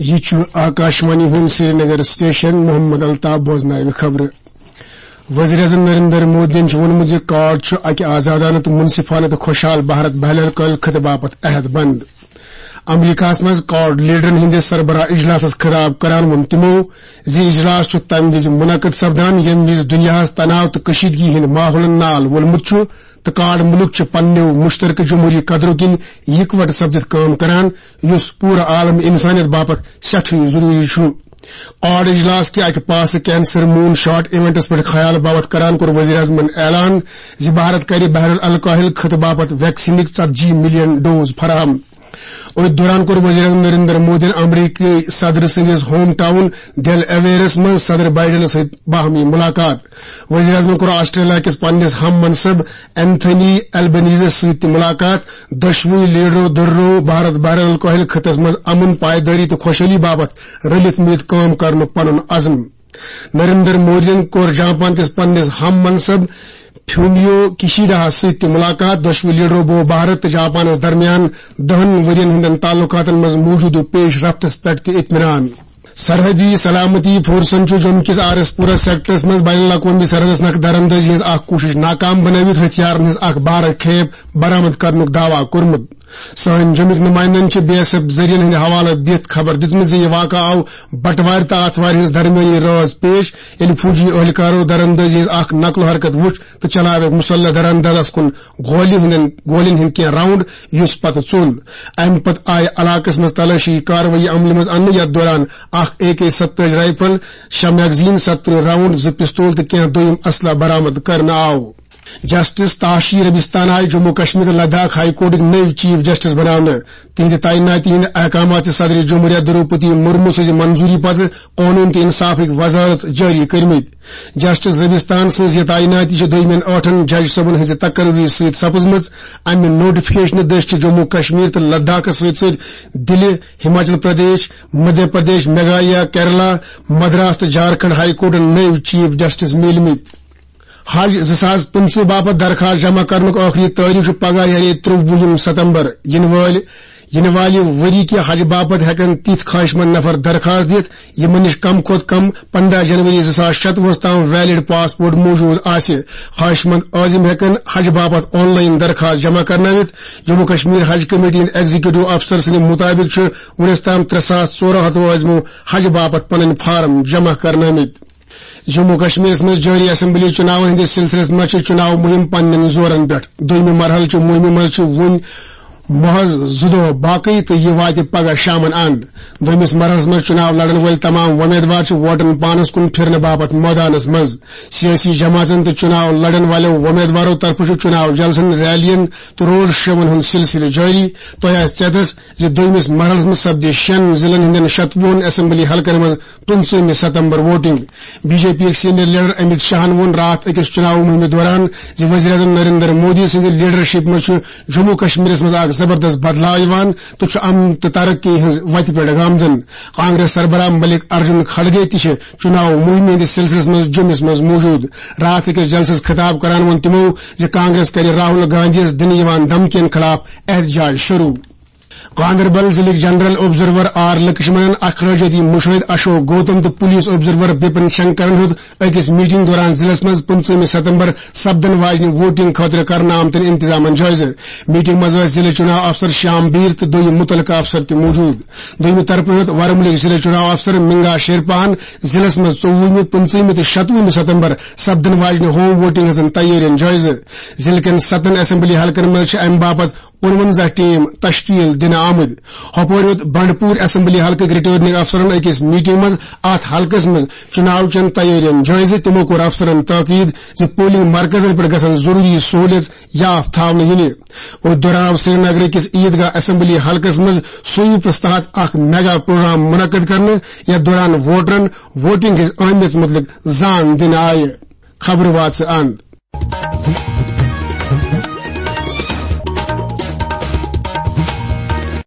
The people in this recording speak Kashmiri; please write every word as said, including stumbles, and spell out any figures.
یہِ چھُ آکاشوانی ہُنٛد سرینگر سٹیشن۔ محمد الطاف بوزناوِ خبرٕ۔ وزیر اعظم نریندر مودیَن چھُ ووٚنمُت زِ کارڈ چھُ اکہِ آزادانہٕ تہٕ منصفانہٕ تہٕ خۄشحال بھارت بین الاقوٲمی خطہٕ باپتھ عہد بند۔ امریکہس منٛز کارڈ لیڈرن ہٕنٛدِس سربراہ اجلاسس خطاب کران ووٚن تِمو زِ اجلاس چھُ تَمہِ وِزِ منعقد سپدان، ییٚمہِ وِزِ دُنیاہَس تناو تہٕ کشیدگی ہٕنٛدِ ماحولن نال وولمُت چھُ تہٕ کارڈ مُلک چھِ پننیو مشترکہ جمہوری قدرو کِنۍ یکوٹہٕ سپدِتھ کٲم کران، یُس پوٗرٕ عالم انسانیت باپتھ سٮ۪ٹھٕے ضروٗری چھُ۔ کارڈ اجلاس کہِ اکہِ پاسہٕ کینسر مون شاٹ ایونٹس پٮ۪ٹھ خیال باپتھ کران کوٚر وزیر اعظمن اعلان زِ بھارت کرِ بحر الکاہل خطہٕ باپتھ ویکسینٕکۍ ژتجی ملین ڈوز فراہم۔ أتھۍ دوران کوٚر وزیر اعظم نریندر مودیَن امریکی صدر سٕنٛدِس ہوم ٹاؤن ڈیل اویرس منٛز صدر بائیڈنس سۭتۍ باہمی ملاقات۔ وزیر اعظمن کوٚر آسٹریلیا کِس پننِس ہم منصب اینتھنی البنیزس سۭتۍ تہِ ملاقات۔ دۄشوٕے لیڈرو دۄہرٲو بھارت بحر الکاہل خطس منٛز امن، پائیدٲری تہٕ خۄشحٲلی باپتھ رلِتھ مِلِتھ کٲم کرنُک پنُن عزم۔ نریندر مودیَن کوٚر جاپان کِس پننِس ہم منصب فومیو کشیڈاہس سۭتۍ تہِ ملاقات۔ دۄشوٕے لیڈرو بوو بھارت تہٕ جاپانس درمیان دہن ؤرین ہٕنٛدٮ۪ن تعلقاتن منٛز موجودٕ پیش رفتس پٮ۪ٹھ تہِ اطمینان۔ سرحدی سلامتی فورسن چھُ جوٚم کِس آر ایس پورہ سیکٹرس منٛز بین الاقوٲمی سرحدس نکھٕ دراندٲزی ہٕنٛز اکھ کوٗشش ناکام بنٲوِتھ ہتھیارن ہٕنٛز اکھ بارٕ کھیپ برآمد کرنُک دعویٰ کوٚرمُت۔ سٲنۍ جوٚمِکۍ نُمایندن چھِ بی ایس ایف ذٔریعن ہٕنٛدِ حوالہٕ دِتھ خبر دِژمٕژ زِ یہِ واقعہٕ آو بٹوارِ تہٕ آتھوارِ ہٕنٛز درمیٲنی رٲژ پیش، ییٚلہِ فوجی اہلکارو دراندٲزی ہٕنٛز اکھ نقل و حرکت وٕچھ تہٕ چلاوکھ مسلح دراندازس کُن گولہِ ہٕنٛدٮ۪ن، گولٮ۪ن ہٕنٛدۍ کینٛہہ راؤنڈ، یُس پتہٕ ژوٚل۔ امہِ پتہٕ آیہِ علاقس منٛز تلٲشی کاروٲیی عملہِ منٛز اننہٕ، یتھ دوران اکھ اے کے ستٲجی رائفل، شےٚ میگزین، ستترٕہ راؤنڈ، زٕ پستول تہٕ کینٛہہ دوٚیم اسلحہٕ برآمد کرنہٕ آو۔ جسٹس تاشی ربستان آیہِ جموں کشمیر تہٕ لداخ ہائی کورٹٕکۍ نٔوۍ چیف جسٹس بناونہٕ۔ تِہنٛدِ تعیناتی ہٕنٛدۍ احکامات چھِ صدر جمہوریہ دروپدی مرمو سٕنٛزِ منظوری پتہٕ قونوٗن تہٕ انصافٕکۍ وزارت جٲری کٔرمٕتۍ۔ جسٹس ربستان سٕنٛز یہِ تعیناتی چھِ دوٚیمٮ۪ن ٲٹھن جج صٲبن ہٕنٛزِ تقرری سۭتۍ سپٕزمٕژ۔ امہِ نوٹیفکیشنہٕ دٔسۍ چھِ جموں کشمیر تہٕ لداخس سۭتۍ سۭتۍ دِلہِ، ہماچل پردیش، مدھیہ پردیش، میگھالیہ، کیرلا، مدراس تہٕ جھارکھنڈ ہائی کورٹن نٔوۍ چیف جسٹس میلمٕتۍ۔ حج زٕ ساس پٕنٛژٕہ باپتھ درخواست جمع کرنُک ٲخری تٲریخ چھُ پگاہ، یعنی ترٛوُہِم ستمبر۔ یِنہٕ وٲلۍ، یِنہٕ والہِ ؤری کہِ حج باپتھ ہٮ۪کن تِتھۍ خواہش مند نفر درخواست دِتھ، یِمن نِش کم کھۄتہٕ کم پنٛداہ جنوری زٕ ساس شتوُہس تام ویلڈ پاسپورٹ موجود آسہِ۔ خواہش مند عازم ہٮ۪کن حج باپتھ آن لائن درخواست جمع کرنٲوِتھ۔ جموں کشمیر حج کمیٹی ہٕنٛدۍ ایگزیکٹو افسر سٕنٛدِ مُطٲبِق چھُ وُنیُس تام ترٛےٚ ساس ژور ہتھ عازمو حج باپتھ پنٕنۍ فارم جمع کرنٲومٕتۍ۔ جموں کشمیرس منٛز جٲری اسمبلی چُناون ہٕنٛدِس سلسلس منٛز چھِ چُناو مُہِم پننٮ۪ن زورن پٮ۪ٹھ۔ دوٚیمہِ مرحلہٕ چہِ مُہِمہِ منٛز چھِ وُنہِ محض زٕ دۄہ باقٕے تہٕ یہِ واتہِ پگاہ شامن اند۔ دوٚیمِس مرحلس منٛز چُناو لڑن وٲلۍ تمام وۄمیدوار چھِ ووٹن پانس کُن پھرنہٕ باپتھ مٲدانس منٛز۔ سیٲسی جماژن تہٕ چُناو لڑن والیو وۄمیدوارو طرفہٕ چھُ چُناو جلسن، ریلین تہٕ روڈ شوون ہُنٛد سلسلہٕ جٲری۔ تۄہہِ آسہِ ژیتس زِ دوٚیمِس مرحلس منٛز سپدِ شٮ۪ن ضلعن ہٕنٛدٮ۪ن شتوُہن اسمبلی حلقن منٛز پٕنٛژٕہمہِ ستمبر ووٹنگ۔ بی جے پی یٕکۍ سینئر لیڈر امیت شاہن ووٚن راتھ أکِس چُناو مُہِمہِ دوران زِ وزیر اعظم نریندر مودی سٕنٛزِ لیڈرشپ منٛز چھُ جموں کشمیرس منٛز اکھ زبردست بدلاو یِوان تہٕ چھُ امن تہٕ ترقی ہٕنٛز وتہِ پٮ۪ٹھ گامزن۔ کانگریس سربراہ ملک ارجن کھڑگے تہِ چھِ چُناو مُہِمہِ ہٕنٛدِس سلسلس منٛز جوٚمِس منٛز موجود۔ راتھ أکِس جلسس خطاب کران ووٚن تِمو زِ کانگریس کرِ راہل گاندھیَس دِنہٕ یِوان دھمکین خلاف احتجاج شروع۔ گاندربل ضلعٕکۍ جنرل آبزرور آر لکشمنن، اخراجاتی مشاہد اشوک گوتم تہٕ پولیس آبزرور بپن شنکرن ہیوٚت أکِس میٹنگ دوران ضلعس منٛز پٕنٛژٕہمہِ ستمبر سپدن واجنہِ ووٹنگ خٲطرٕ کرنہٕ آمتٮ۪ن انتظامن جٲیزٕ۔ میٹنگ منٛز ٲسۍ ضلعہٕ چُناو افسر شیام بیر تہٕ دوٚیِم مُتعلقہٕ افسر تہِ موجود۔ دوٚیمہِ طرفہٕ ہیوٚت ورمُلٕکۍ ضلعہٕ چُناو افسر منگا شیرپاہن ضلعس منٛز ژوٚوُہمہِ، پٕنٛژٕہمہِ تہٕ شتوُہمہِ ستمبر سپدن واجنہِ ہوم ووٹنگ ہٕنٛزن تیٲرین جٲیزٕ۔ ضلعہٕ کٮ۪ن ستن اسمبلی حلقن منٛز چھِ امہِ باپتھ کُنوَنزاہ ٹیم تشکیل دِنہٕ آمٕتۍ۔ ہۄپٲرۍ ہیوٚت بنڈپور اسمبلی حلقٕکۍ ریٹرننگ افسرن أکِس میٹنگ منٛز اتھ حلقس منٛز چُناو چٮ۪ن تیٲرین جٲیزٕ۔ تِمو کوٚر افسرن تاکید زِ پولنگ مرکزن پٮ۪ٹھ گژھن ضروری سہولیژ یاف تھاونہٕ یِنہِ۔ أتھۍ دوران آو سرینگرٕ کِس عیدگاہ اسمبلی حلقس منٛز سویپس تحت اکھ میگا پروگرام منعقد کرنہٕ، یتھ دوران ووٹرن ووٹنگ ہٕنٛز اہمیت مُتعلق زان دِنہٕ آیہِ۔ خبرٕ واژٕ اند۔